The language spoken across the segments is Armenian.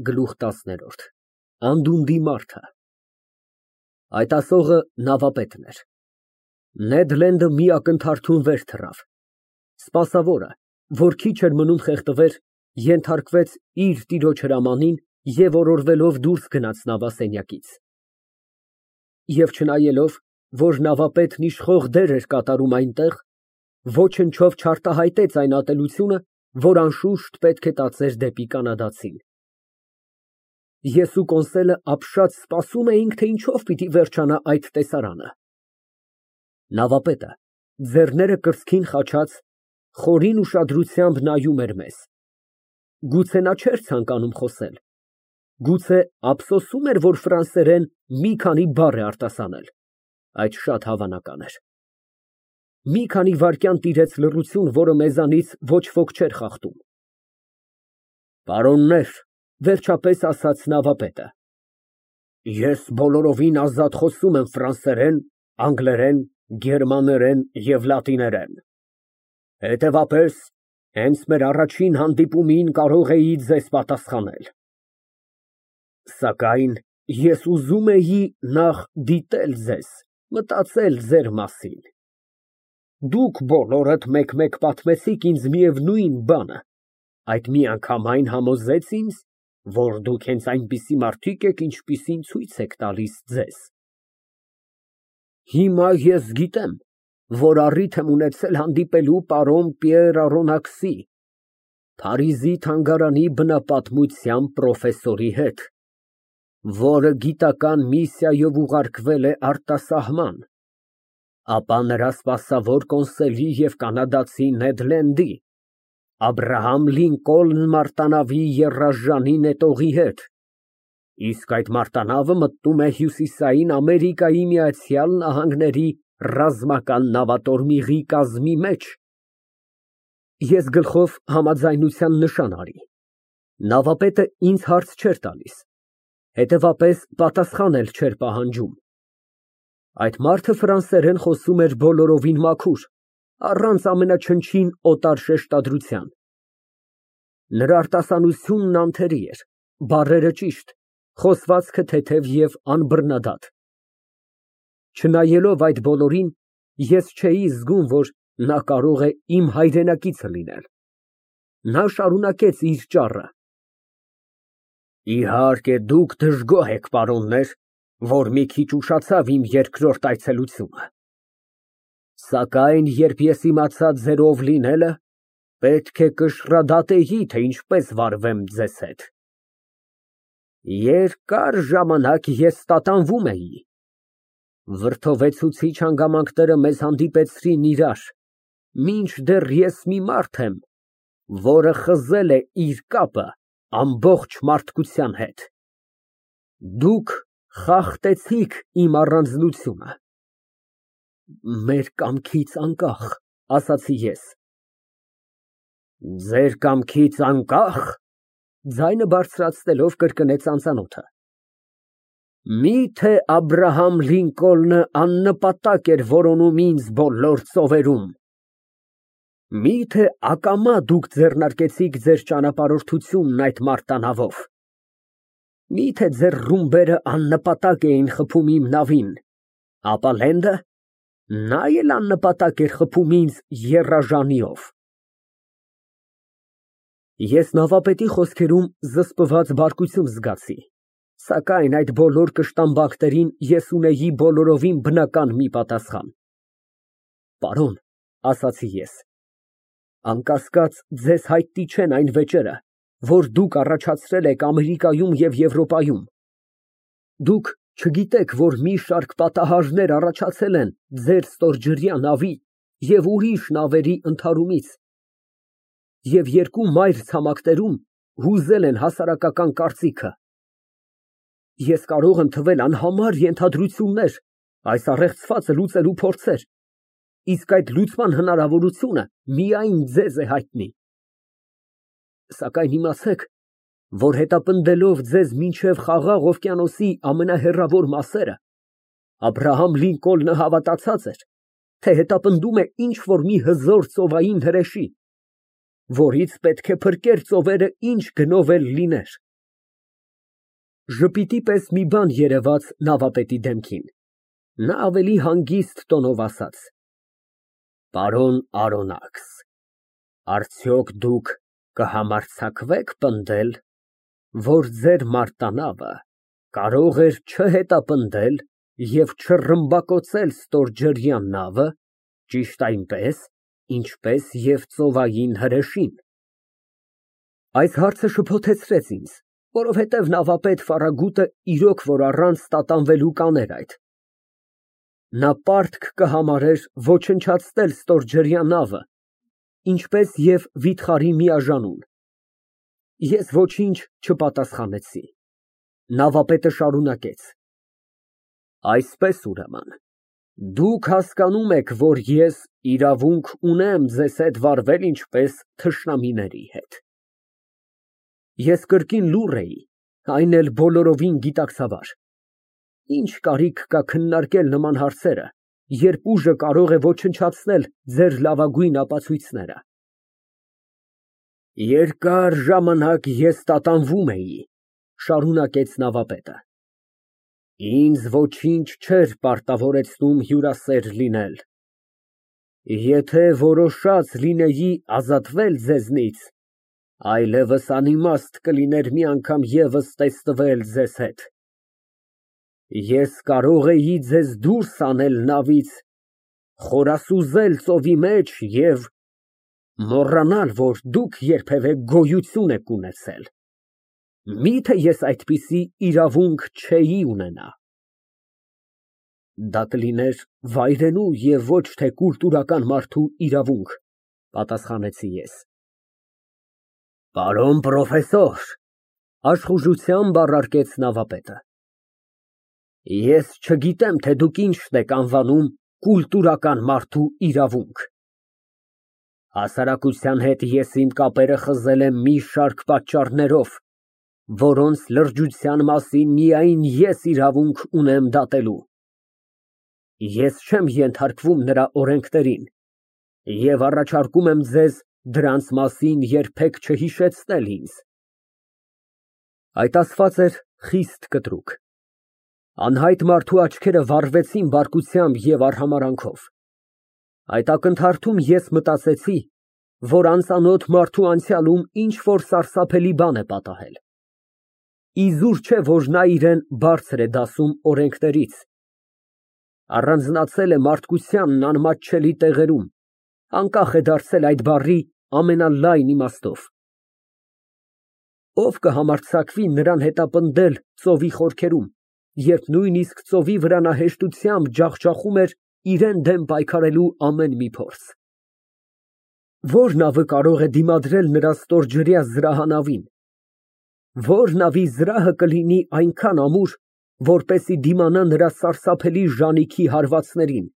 Գլուխ 10 Անդունդի մարդը Այդ ասողը նավապետն էր։ Նեդ Լենդը մի ակնթարթում վեր թռավ։ Սպասավորը, որ քիչ էր մնում խեղդվեր, ենթարկվեց իր տիրոջ հրամանին և օրորվելով դուրս գնաց նավասենյակից։ Եվ չնայելով, որ նավապետն իշխող դեր էր կատարում այնտեղ, ոչնչով չարտահայտեց այն ատելությունը, որ անշուշտ պետք է տածեր դեպի կանադացին։ Ես ու Կոնսելը ապշած սպասում էինք, թե ինչով պիտի վերջանա այդ տեսարանը։ Նավապետը, ձեռները կրծքին խաչած, խորին ուշադրությամբ նայում էր մեզ։ Գուցե նա չէր ցանկանում խոսել, գուցե ափսոսում էր, որ ֆրանսերեն մի քանի բառ է արտասանել, այդ շատ հավանական էր։ Մի քանի վայրկյան տիրեց լռություն, որը մեզանից ոչ ոք չէր խախտում։ Պարոններ, վերջապես ասաց նավապետը, ես բոլորովին ազատ խոսում եմ ֆրանսերեն, անգլերեն, գերմաներեն և լատիներեն։ Հետևաբար, հենց մեր առաջին հանդիպումին կարող էի ձեզ պատասխանել։ Սակայն ես ուզում էի նախ դիտել ձեզ, մտածել ձեր մասին։ Դուք բոլորդ մեկ֊մեկ պատմեցիք ինձ միևնույն բանը, այդ միանգամայն համոզեց ինձ, որ դուք հենց այնպիսի մարդիկ եք, ինչպիսին ցույց եք տալիս ձեզ։ Հիմա ես գիտեմ, որ առիթ եմ ունեցել հանդիպելու պարոն Պիեր Արոնաքսի, Փարիզի թանգարանի բնապատմության պրոֆեսորի հետ, որը գիտական միսիայով ուղարկվել է արտասահման, ապա նրա սպասավոր Կոնսելի և կանադացի Նեդ Լենդի, Աբրահամ Լինկոլն մարտանավի եռաժանի նետողի հետ, իսկ այդ մարտանավը մտնում է Հյուսիսային Ամերիկայի Միացյալ Նահանգների ռազմական նավատորմիղի կազմի մեջ։ Ես գլխով համաձայնության նշան արի։ Նավապետը ինձ հարց չէր տալիս, հետևապես պատասխան էլ չէր պահանջում։ Այդ մարդը ֆրանսերեն խոսում էր բոլորովին մաքուր, առանց ամենաչնչին օտար շեշտադրության։ Նրա արտասանությունն անթերի էր, բառերը ճիշտ, խոսվածքը թեթև և անբռնադատ։ Չնայելով այդ բոլորին, ես չէի զգում, որ նա կարող է իմ հայրենակիցը լինել։ Նա շարունակեց իր ճառը. Իհարկե, դուք դժգոհ եք, պարոններ, որ մի քիչ ուշացավ իմ երկրորդ այցելությունը։ Սակայն երբ ես իմացա ձեր ով լինելը, պետք է կշռադատեի, թե ինչպես վարվեմ ձեզ հետ։ Երկար ժամանակ ես տատանվում էի։ Վրդովեցուցիչ հանգամանքները մեզ հանդիպեցրին իրար, մինչդեռ ես մի մարդ եմ, որը խզել է իր կապը ամբողջ մարդկության հետ։ Դուք խախտեցիք իմ առանձնությունը։ Մեր կամքից անկախ, ասացի ես։ Ձեր կամքից անկախ, ձայնը բարձրացնելով կրկնեց անծանոթը։ Միթե Աբրահամ Լինկոլնը աննպատակ էր որոնում ինձ բոլոր ծովերում։ Միթե ակամա դուք ձեռնարկեցիք ձեր ճանապարհորդությունն այդ մարտանավով։ Միթե ձեր ռումբերը աննպատակ էին խփում իմ նավին, ապա Լենդը, նա էլ աննպատակ էր խփում ինձ եռաժանիով։ Ես նավապետի խոսքերում զսպված բարկություն զգացի, սակայն այդ բոլոր կշտամբանքներին ես ունեի բոլորովին բնական մի պատասխան։ Պարոն, ասացի ես, անկասկած ձեզ հայտնի չեն այն վեճերը, որ դուք առաջացրել եք Ամերիկայում և Եվրոպայում։ Դուք չգիտեք, որ մի շարք պատահարներ առաջացել են ձեր ստորջրյա նավի և ուրիշ նավերի ընդհարումից, և երկու մայր ցամաքներում հուզել են հասարակական կարծիքը։ Ես կարող եմ թվել անհամար ենթադրություններ, այս առեղծվածը լուծելու փորձեր, իսկ այդ լուծման հնարավորությունը միայն ձեզ է հայտնի։ Սակայն իմացեք, որ հետապնդելով ձեզ մինչև Խաղաղ օվկիանոսի ամենահեռավոր մասերը, Աբրահամ Լինկոլնը հավատացած էր, թե հետապնդում է ինչ֊որ մի հզոր ծովային հրեշի, որից պետք է փրկեր ծովերը ինչ գնով էլ լիներ։ Ժպիտի պես մի բան երևաց նավապետի դեմքին, նա ավելի հանգիստ տոնով ասաց. Պարոն Արոնաքս, արդյոք դուք կհամարձակվե՞ք պնդել, որ ձեր մարտանավը կարող էր չհետապնդել և չռմբակոծել ստորջրյա նավը ճիշտ այնպես, ինչպես և ծովային հրեշին։ Այս հարցը շփոթեցրեց ինձ, որովհետև նավապետ Ֆարագուտը իրոք որ առանց տատանվելու կաներ այդ։ Նա պարտք կհամարեր ոչնչացնել ստորջրյա նավը, ինչպես և վիթխարի միաժամանուն։ Ես ոչինչ չպատասխանեցի։ Նավապետը շարունակեց. Այսպես ուրեմն, դուք հասկանում եք, որ ես իրավունք ունեմ ձեզ հետ վարվել ինչպես թշնամիների հետ։ Ես կրկին լուռ էի, այն էլ բոլորովին գիտակցաբար։ Ինչ կարիք կա քննարկել նման հարցերը, երբ ուժը կարող է ոչնչացնել ձեր լավագույն ապացույցները։ Երկար ժամանակ ես տատանվում էի, շարունակեց նավապետը։ Ինձ ոչինչ չէր պարտավորեցնում հյուրասեր լինել։ Եթե որոշած լինեի ազատվել ձեզնից, այլևս անիմաստ կլիներ մի անգամ ևս տեսնվել ձեզ հետ։ Ես կարող էի ձեզ դուրս հանել նավից, խորասուզել ծովի մեջ և մոռանալ, որ դուք երբևէ գոյություն եք ունեցել։ Միթե ես այդպիսի իրավունք չէի ունենա։ Դա կլիներ վայրենու և ոչ թե կուլտուրական մարդու իրավունք, պատասխանեցի ես։ Պարոն պրոֆեսոր, աշխուժությամբ առարկեց նավապետը, ես չգիտեմ, թե դուք ինչն եք անվանում կուլտուրական մարդու իրավունք։ Հասարակության հետ ես իմ կապերը խզել եմ մի շարք պատճառներով, որոնց լրջության մասին միայն ես իրավունք ունեմ դատելու։ Ես չեմ ենթարկվում նրա օրենքներին և առաջարկում եմ ձեզ դրանց մասին երբեք չհիշեցնել ինձ։ Այդ ասված էր խիստ կտրուկ։ Անհայտ մարդու աչքերը վառվեցին բարկությամբ և արհամարհանքով։ Այդ ակնթարթում ես մտածեցի, որ անծանոթ մարդու անցյալում ինչ֊որ սարսափելի բան է պատահել։ Իզուր չէ, որ նա իրան բարձր է դասում օրենքներից։ Առանձնացել է մարդկությանն անմատչելի տեղերում, անկախ է դարձել այդ բառի ամենալայն իմաստով։ Ով կհամարձակվի նրան հետապնդել ծովի խորքերում, երբ նույնիսկ ծովի վրա նա հեշտությամբ ջախջախում էր իրան դեմ պայքարելու ամեն մի փորձ։ Ո՞ր նավը կարող է դիմադրել նրա ստորջրյա զրահանավին։ Ո՞ր նավի զրահը կլինի այնքան ամուր, որպեսզի դիմանա նրա սարսափելի ժանիքի հարվածներին։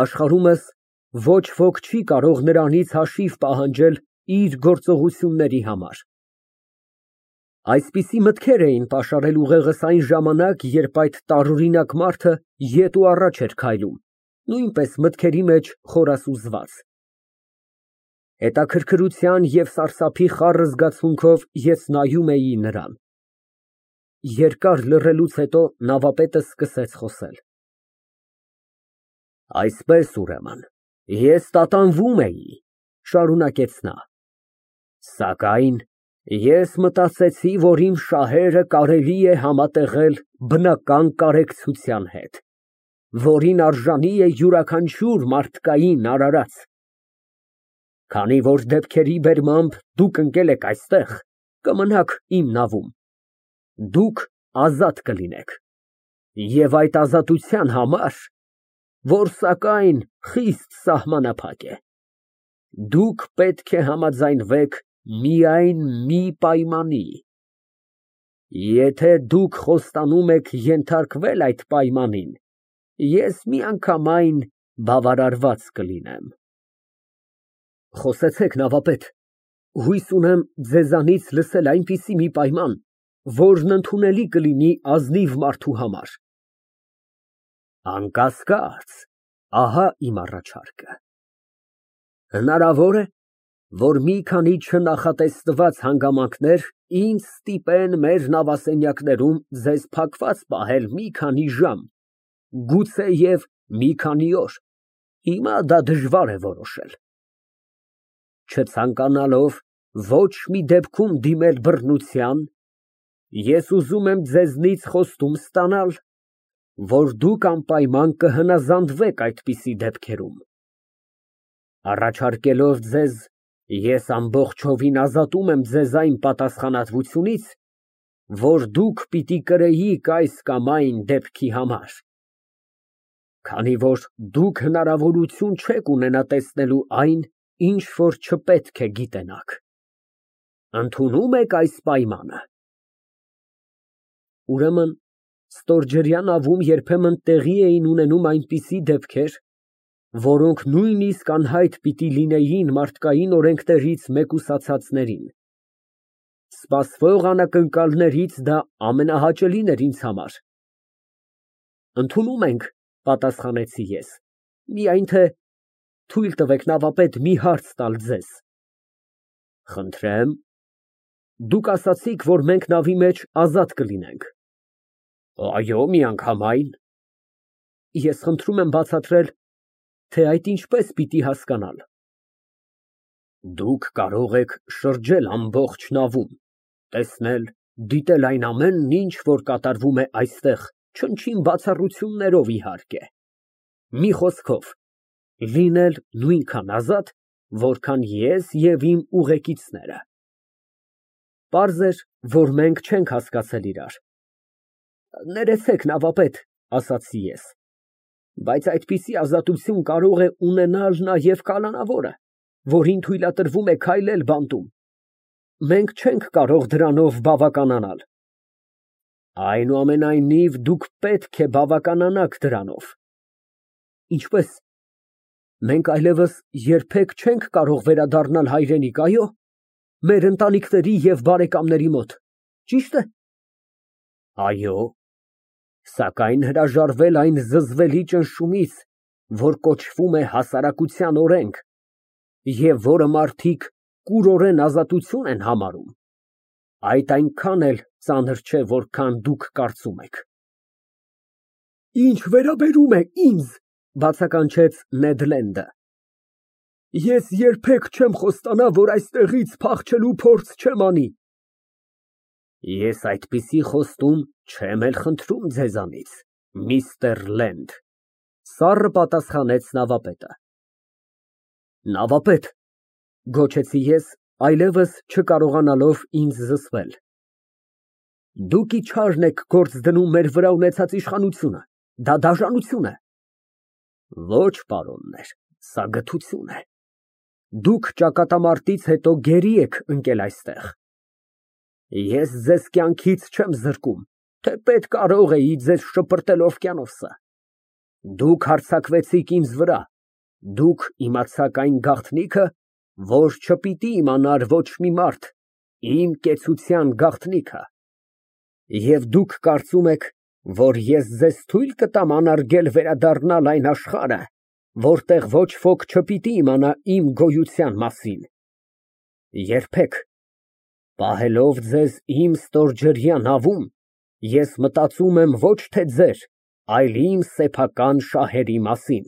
Աշխարհումս ոչ ոք չի կարող նրանից հաշիվ պահանջել իր գործողությունների համար։ Այսպիսի մտքեր էին պաշարել ուղեղս այն ժամանակ, երբ այդ տարօրինակ մարդը ետ ու առաջ էր քայլում, նույնպես մտքերի մեջ խորասուզված։ Հետաքրքրության և սարսափի խառը զգացմունքով ես նայում էի նրան։ Երկար լռելուց հետո նավապետը սկսեց խոսել։ Այսպես ուրեմն, ես տատանվում էի, շարունակեց նա, սակայն ես մտածեցի, որ իմ շահերը կարելի է համատեղել բնական կարեկցության հետ, որին արժանի է յուրաքանչյուր մարդկային արարած։ Քանի որ դեպքերի բերմամբ դուք ընկել եք այստեղ, կմնաք իմ նավում, դուք ազատ կլինեք, և այդ ազատության համար, որ սակայն խիստ սահմանափակ է, դուք պետք է համաձայնվեք միայն մի պայմանի։ Եթե դուք խոստանում եք ենթարկվել այդ պայմանին, ես միանգամայն բավարարված կլինեմ։ Խոսեցեք, նավապետ, հույս ունեմ ձեզանից լսել այնպիսի մի պայման, որն ընդունելի կլինի ազնիվ մարդու համար։ Անկասկած, ահա իմ առաջարկը։ Հնարավոր է, որ մի քանի չնախատեսված հանգամանքներ ինձ ստիպեն մեր նավասենյակներում ձեզ փակված պահել մի քանի ժամ, գուցեև մի քանի օր, հիմա դա դժվար է որոշել։ Չցանկանալով ոչ մի դեպքում դիմել բռնության, ես ուզում եմ ձեզնից խոստում ստանալ, որ դուք անպայման կհնազանդվեք այդպիսի դեպքերում։ Առաջարկելով ձեզ, ես ամբողջովին ազատում եմ ձեզ այն պատասխանատվությունից, որ դուք պիտի կրեիք այս կամ այն դեպքի համար, քանի որ դուք հնարավորություն չեք ունենա տեսնելու այն, ինչ որ չպետք է գիտենաք։ Ընդունում եք այս պայմանը։ Ուրեմն, ստորջրյա նավում երբեմն տեղի էին ունենում այնպիսի դեպքեր, որոնք նույնիսկ անհայտ պիտի լինեին մարդկային օրենքներից մեկուսացածներին։ Սպասվող անակնկալներից դա ամենահաճելին էր ինձ համար։ Ընդունում ենք, պատասխանեցի ես, միայն թե թույլ տվեք նավապետ մի հարց տալ ձեզ։ Խնդրեմ։ Դուք ասացիք, որ մենք նավի մեջ ազատ կլինենք։ Այո, միանգամայն։ Ես խնդրում եմ բացատրել, թե այդ ինչպես պիտի հասկանալ։ Դուք կարող եք շրջել ամբողջ նավում, տեսնել, դիտել այն ամենն, ինչ որ կատարվում է այստեղ, չնչին բացառություններով իհարկե։ Մի խոսքով, լինել նույնքան ազատ, որքան ես և իմ ուղեկիցները։ Պարզ էր, որ մենք չենք հասկացել իրար։ Ներեցեք, նավապետ, ասացի ես, բայց այդպիսի ազատություն կարող է ունենալ նաև կալանավորը, որին թույլատրվում է քայլել բանտում։ Մենք չենք կարող դրանով բավականանալ։ Այնուամենայնիվ, դուք պետք է բավականանաք դրանով։ Ինչպես։ Մենք այլևս երբեք չենք կարող վերադառնալ հայրենիք, այո՞, մեր ընտանիքների և բարեկամների մոտ, ճի՞շտ է։ Այո, սակայն հրաժարվել այն զզվելի ճնշումից, որ կոչվում է հասարակության օրենք, և որը մարդիկ կուրորեն ազատություն են համարում, այդ այնքան էլ ծանր չէ, որքան դուք կարծում եք։ Ինչ վերաբերում է ինձ, բացականչեց Նեդ Լենդը, ես երբեք չեմ խոստանա, որ այստեղից փախչելու փորձ չեմ անի։ Ես այդպիսի խոստում չեմ էլ խնդրում ձեզանից, միստր Լենդ, սառը պատասխանեց նավապետը։ Նավապետ, գոչեցի ես, այլևս չկարողանալով ինձ զսպել։ Դուք իչարն եք գործ դնում մեր վրա ունեցած իշխանությունը, դա դաժանություն է։ Ոչ, պարոններ, սա գթություն է։ Դուք ճակատամարտից հետո գերի եք ընկել այստեղ։ Ես ձեզ կյանքից չեմ զրկում, թեպետ կարող էի ձեզ շպրտել օվկիանոսը։ Դուք հարձակվեցիք ինձ վրա, դուք իմացաք այն գաղտնիքը, որ չպիտի իմանար ոչ մի մարդ, իմ կեցության գաղտնիքը։ Եվ դուք կարծում եք, որ ես ձեզ թույլ կտամ անարգել վերադառնալ այն աշխարհը, որտեղ ոչ ոք չպիտի իմանա իմ գոյության մասին։ Երբեք։ Պահելով ձեզ իմ ստորջրյա նավում, ես մտածում եմ ոչ թե ձեր, այլ իմ սեփական շահերի մասին։